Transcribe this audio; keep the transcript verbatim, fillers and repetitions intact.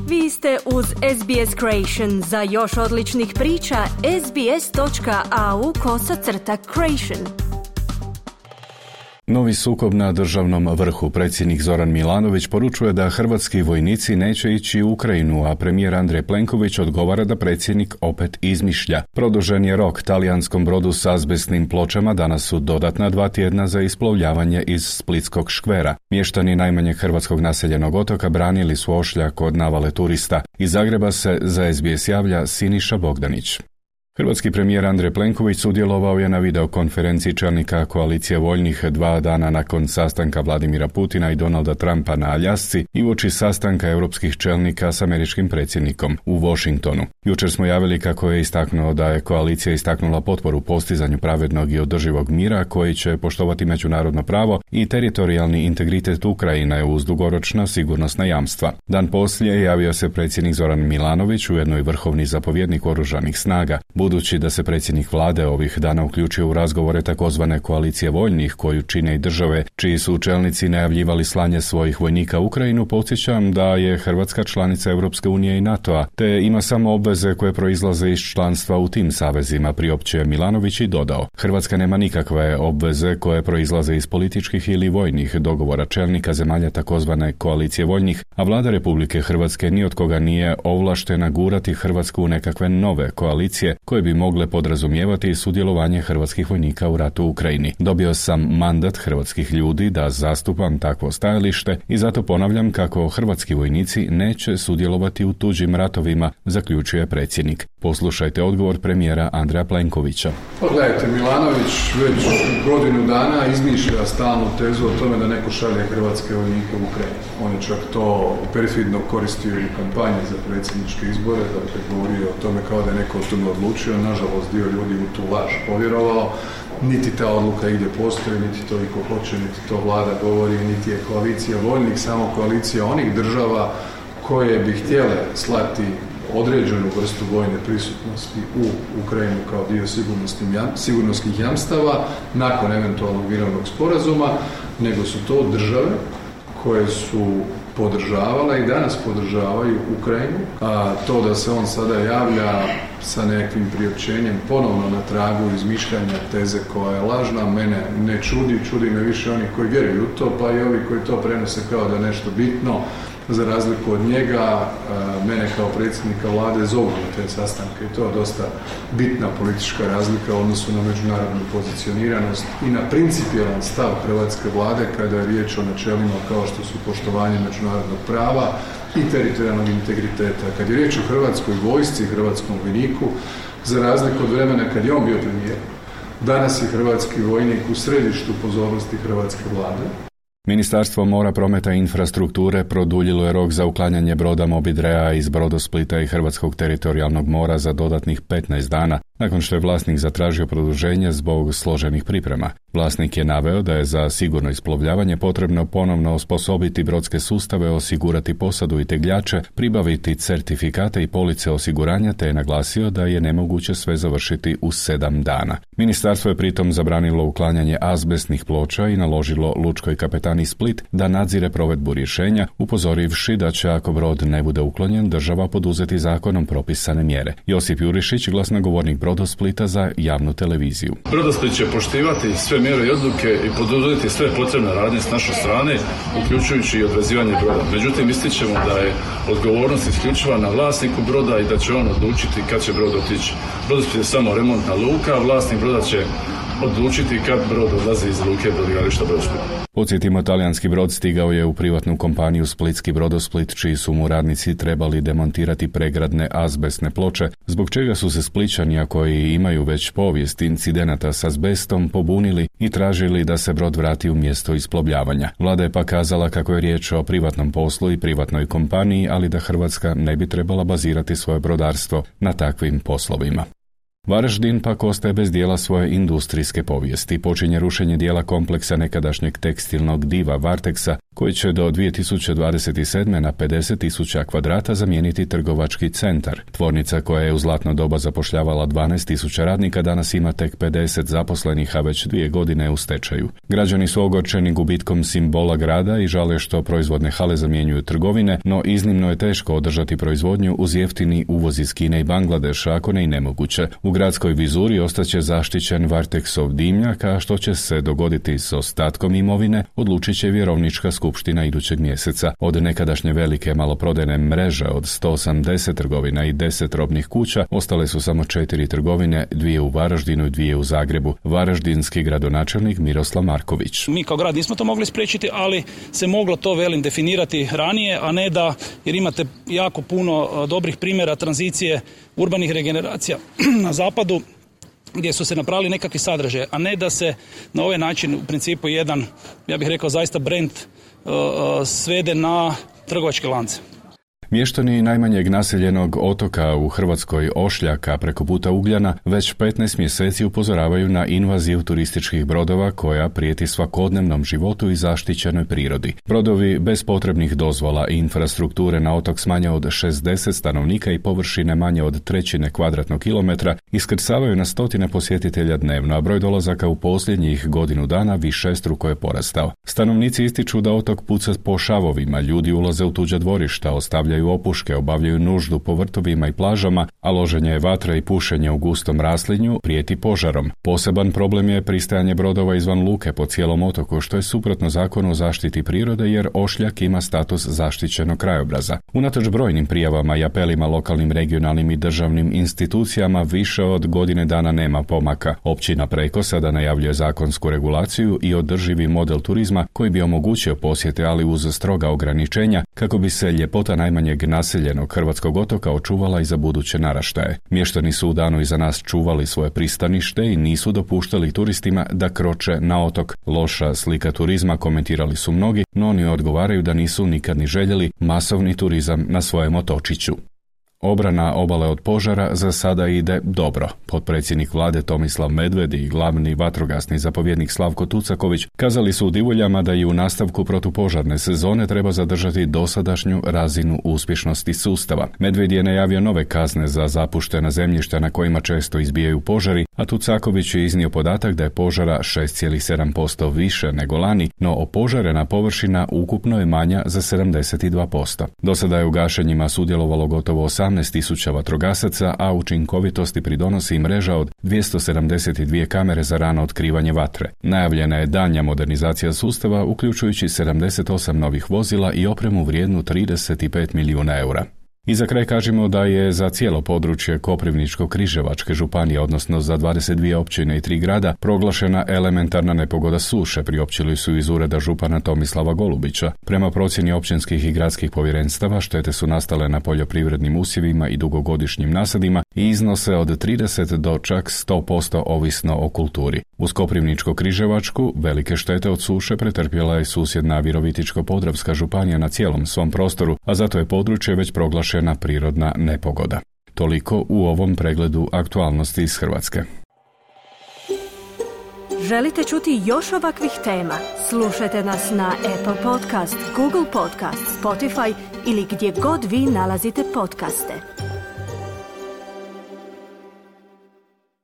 Vi ste uz S B S Creation. Za još odličnih priča, sbs.au kosacrta creation. Novi sukob na državnom vrhu. Predsjednik Zoran Milanović poručuje da hrvatski vojnici neće ići u Ukrajinu, a premijer Andrej Plenković odgovara da predsjednik opet izmišlja. Produžen je rok talijanskom brodu s azbestnim pločama, danas su dodatna dva tjedna za isplovljavanje iz Splitskog škvera. Mještani najmanjeg hrvatskog naseljenog otoka branili su ošljak od navale turista. Iz Zagreba se za S B S javlja Siniša Bogdanić. Hrvatski premijer Andrej Plenković sudjelovao je na videokonferenciji čelnika koalicije voljnih dva dana nakon sastanka Vladimira Putina i Donalda Trumpa na Aljasci i uoči sastanka europskih čelnika s američkim predsjednikom u Washingtonu. Jučer smo javili kako je istaknuo da je koalicija istaknula potporu postizanju pravednog i održivog mira koji će poštovati međunarodno pravo i teritorijalni integritet Ukrajine uz dugoročna sigurnosna jamstva. Dan poslije javio se predsjednik Zoran Milanović, ujedno i vrhovni zapovjednik oružanih snaga. Budući da se predsjednik vlade ovih dana uključio u razgovore takozvane koalicije voljnih koju čine i države čiji su čelnici najavljivali slanje svojih vojnika u Ukrajinu, podsjećam da je Hrvatska članica Europske unije i NATO-a, te ima samo obveze koje proizlaze iz članstva u tim savezima, priopćuje Milanović i dodao. Hrvatska nema nikakve obveze koje proizlaze iz političkih ili vojnih dogovora čelnika zemalja takozvane koalicije voljnih, a vlada Republike Hrvatske ni od koga nije ovlaštena gurati Hrvatsku u nekakve nove koalicije koje bi mogle podrazumijevati sudjelovanje hrvatskih vojnika u ratu u Ukrajini. Dobio sam mandat hrvatskih ljudi da zastupam takvo stajalište i zato ponavljam kako hrvatski vojnici neće sudjelovati u tuđim ratovima, zaključuje predsjednik. Poslušajte odgovor premijera Andreja Plenkovića. Pogledajte, Milanović već godinu dana izmišlja stalnu tezu o tome da neko šalje hrvatske vojnike u Ukrajinu. On je čak to perfidno koristio i u kampanji za predsjedničke izbore, dakle govorio o tome kao da je neko o tome odlučio. Nažalost, dio ljudi u tu laž povjerovao. Niti ta odluka ide postoji, niti to iko hoće, niti to vlada govori, niti je koalicija voljnih, samo koalicija onih država koje bi htjele slati određenu vrstu vojne prisutnosti u Ukrajinu kao dio sigurnosnih jamstava nakon eventualnog mirovnog sporazuma, nego su to države koje su podržavala i danas podržavaju Ukrajinu, a to da se on sada javlja sa nekakvim priopćenjem ponovno na tragu izmišljanja teze koja je lažna, mene ne čudi, čudi me više oni koji vjeruju u to, pa i ovi koji to prenose kao da je nešto bitno. Za razliku od njega, mene kao predsjednika vlade zovu na te sastanke i to je dosta bitna politička razlika u odnosu na međunarodnu pozicioniranost i na principijelan stav hrvatske vlade kada je riječ o načelima kao što su poštovanje međunarodnog prava i teritorijalnog integriteta. Kad je riječ o hrvatskoj vojsci i hrvatskom vojniku, za razliku od vremena kad je on bio premijer, danas je hrvatski vojnik u središtu pozornosti hrvatske vlade. Ministarstvo mora, prometa i infrastrukture produljilo je rok za uklanjanje broda Moby Drea iz Brodosplita i Hrvatskog teritorijalnog mora za dodatnih petnaest dana, nakon što je vlasnik zatražio produženje zbog složenih priprema. Vlasnik je naveo da je za sigurno isplovljavanje potrebno ponovno osposobiti brodske sustave, osigurati posadu i tegljače, pribaviti certifikate i police osiguranja, te je naglasio da je nemoguće sve završiti u sedam dana. Ministarstvo je pritom zabranilo uklanjanje azbestnih ploča i naložilo lučkoj kapetani Split da nadzire provedbu rješenja, upozorivši da će ako brod ne bude uklonjen, država poduzeti zakonom propisane mjere. Josip Jurišić, glasnogovornik Brodosplita za javnu televiziju. Brodosplit će poštivati sve mjere i odluke i poduzeti sve potrebne radnje s naše strane, uključujući i odvezivanje broda. Međutim, ističemo da je odgovornost isključiva na vlasniku broda i da će on odlučiti kad će brod otići. Brodosplit je samo remontna luka, a vlasnik broda će odlučiti kad brod odlazi iz luke brodogradilišta Brodosplit. Podsjetimo, talijanski brod stigao je u privatnu kompaniju Splitski Brodosplit, čiji su mu radnici trebali demontirati pregradne azbestne ploče, zbog čega su se Splićani, a koji imaju već povijest incidenata s azbestom, pobunili i tražili da se brod vrati u mjesto isplovljavanja. Vlada je pa kazala kako je riječ o privatnom poslu i privatnoj kompaniji, ali da Hrvatska ne bi trebala bazirati svoje brodarstvo na takvim poslovima. Varaždin pak ostaje bez dijela svoje industrijske povijesti. Počinje rušenje dijela kompleksa nekadašnjeg tekstilnog diva Varteksa, koji će do dvije tisuće dvadeset sedme na pedeset tisuća kvadrata zamijeniti trgovački centar. Tvornica koja je u zlatno doba zapošljavala dvanaest tisuća radnika danas ima tek pedeset zaposlenih, a već dvije godine u stečaju. Građani su ogorčeni gubitkom simbola grada i žale što proizvodne hale zamjenjuju trgovine, no iznimno je teško održati proizvodnju uz jeftini uvoz iz Kine i Bangladeša, ako ne i nemoguće. U gradskoj vizuri ostaće zaštićen Varteksov dimnjak, a što će se dogoditi s ostatkom imovine, odlučit će vjerovnička skupština idućeg mjeseca. Od nekadašnje velike maloprodajne mreže od sto osamdeset trgovina i deset robnih kuća ostale su samo četiri trgovine, dvije u Varaždinu i dvije u Zagrebu. Varaždinski gradonačelnik Miroslav Marković. Mi kao grad nismo to mogli spriječiti, ali se moglo to, velim, definirati ranije, a ne da, jer imate jako puno dobrih primjera tranzicije urbanih regeneracija na zapadu, gdje su se napravili nekakvi sadržaje, a ne da se na ovaj način u principu jedan, ja bih rekao, zaista brand uh, svede na trgovačke lance. Mještani najmanjeg naseljenog otoka u Hrvatskoj Ošljaka preko puta Ugljana već petnaest mjeseci upozoravaju na invaziju turističkih brodova koja prijeti svakodnevnom životu i zaštićenoj prirodi. Brodovi bez potrebnih dozvola i infrastrukture na otok s manje od šezdeset stanovnika i površine manje od trećine kvadratnog kilometra iskrcavaju na stotine posjetitelja dnevno, a broj dolazaka u posljednjih godinu dana višestruko je porastao. Stanovnici ističu da otok puca po šavovima, ljudi ulaze u tuđa dvorišta, ostavljaju opuške, obavljaju nuždu po vrtovima i plažama, a loženje vatre i pušenje u gustom raslinju prijeti požarom. Poseban problem je pristajanje brodova izvan luke po cijelom otoku, što je suprotno zakonu o zaštiti prirode, jer Ošljak ima status zaštićenog krajobraza. Unatoč brojnim prijavama i apelima lokalnim, regionalnim i državnim institucijama, više od godine dana nema pomaka. Općina Preko sada najavljuje zakonsku regulaciju i održivi model turizma koji bi omogućio posjete, ali uz stroga ograničenja, kako bi se ljepota najmanjeg naseljenog hrvatskog otoka očuvala i za buduće naraštaje. Mještani su u danu iza nas čuvali svoje pristanište i nisu dopuštali turistima da kroče na otok. Loša slika turizma, komentirali su mnogi, no oni odgovaraju da nisu nikad ni željeli masovni turizam na svojem otočiću. Obrana obale od požara za sada ide dobro. Potpredsjednik vlade Tomislav Medved i glavni vatrogasni zapovjednik Slavko Tucaković kazali su u Divuljama da i u nastavku protupožarne sezone treba zadržati dosadašnju razinu uspješnosti sustava. Medved je najavio nove kazne za zapuštena zemljišta na kojima često izbijaju požari, a Tucaković je iznio podatak da je požara šest zarez sedam posto više nego lani, no opožarena površina ukupno je manja za sedamdeset dva posto. Do sada je u gašenjima sudjelovalo gotovo osamnaest tisuća vatrogasaca, a učinkovitosti pridonosi mreža od dvjesto sedamdeset dvije kamere za rano otkrivanje vatre. Najavljena je daljnja modernizacija sustava, uključujući sedamdeset osam novih vozila i opremu vrijednu trideset pet milijuna eura. I za kraj kažemo da je za cijelo područje Koprivničko-križevačke županije, odnosno za dvadeset dvije općine i tri grada, proglašena elementarna nepogoda suše, priopćili su iz ureda župana Tomislava Golubića. Prema procjeni općinskih i gradskih povjerenstava, štete su nastale na poljoprivrednim usjevima i dugogodišnjim nasadima i iznose od trideset do čak sto posto ovisno o kulturi. Uz Koprivničko-križevačku velike štete od suše pretrpjela je susjedna Virovitičko-podravska županija na cijelom svom prostoru, a zato je područje već proglašena prirodna nepogoda. Toliko u ovom pregledu aktualnosti iz Hrvatske. Želite čuti još ovakvih tema? Slušajte nas na Apple Podcast, Google Podcast, Spotify ili gdje god vi nalazite podcaste.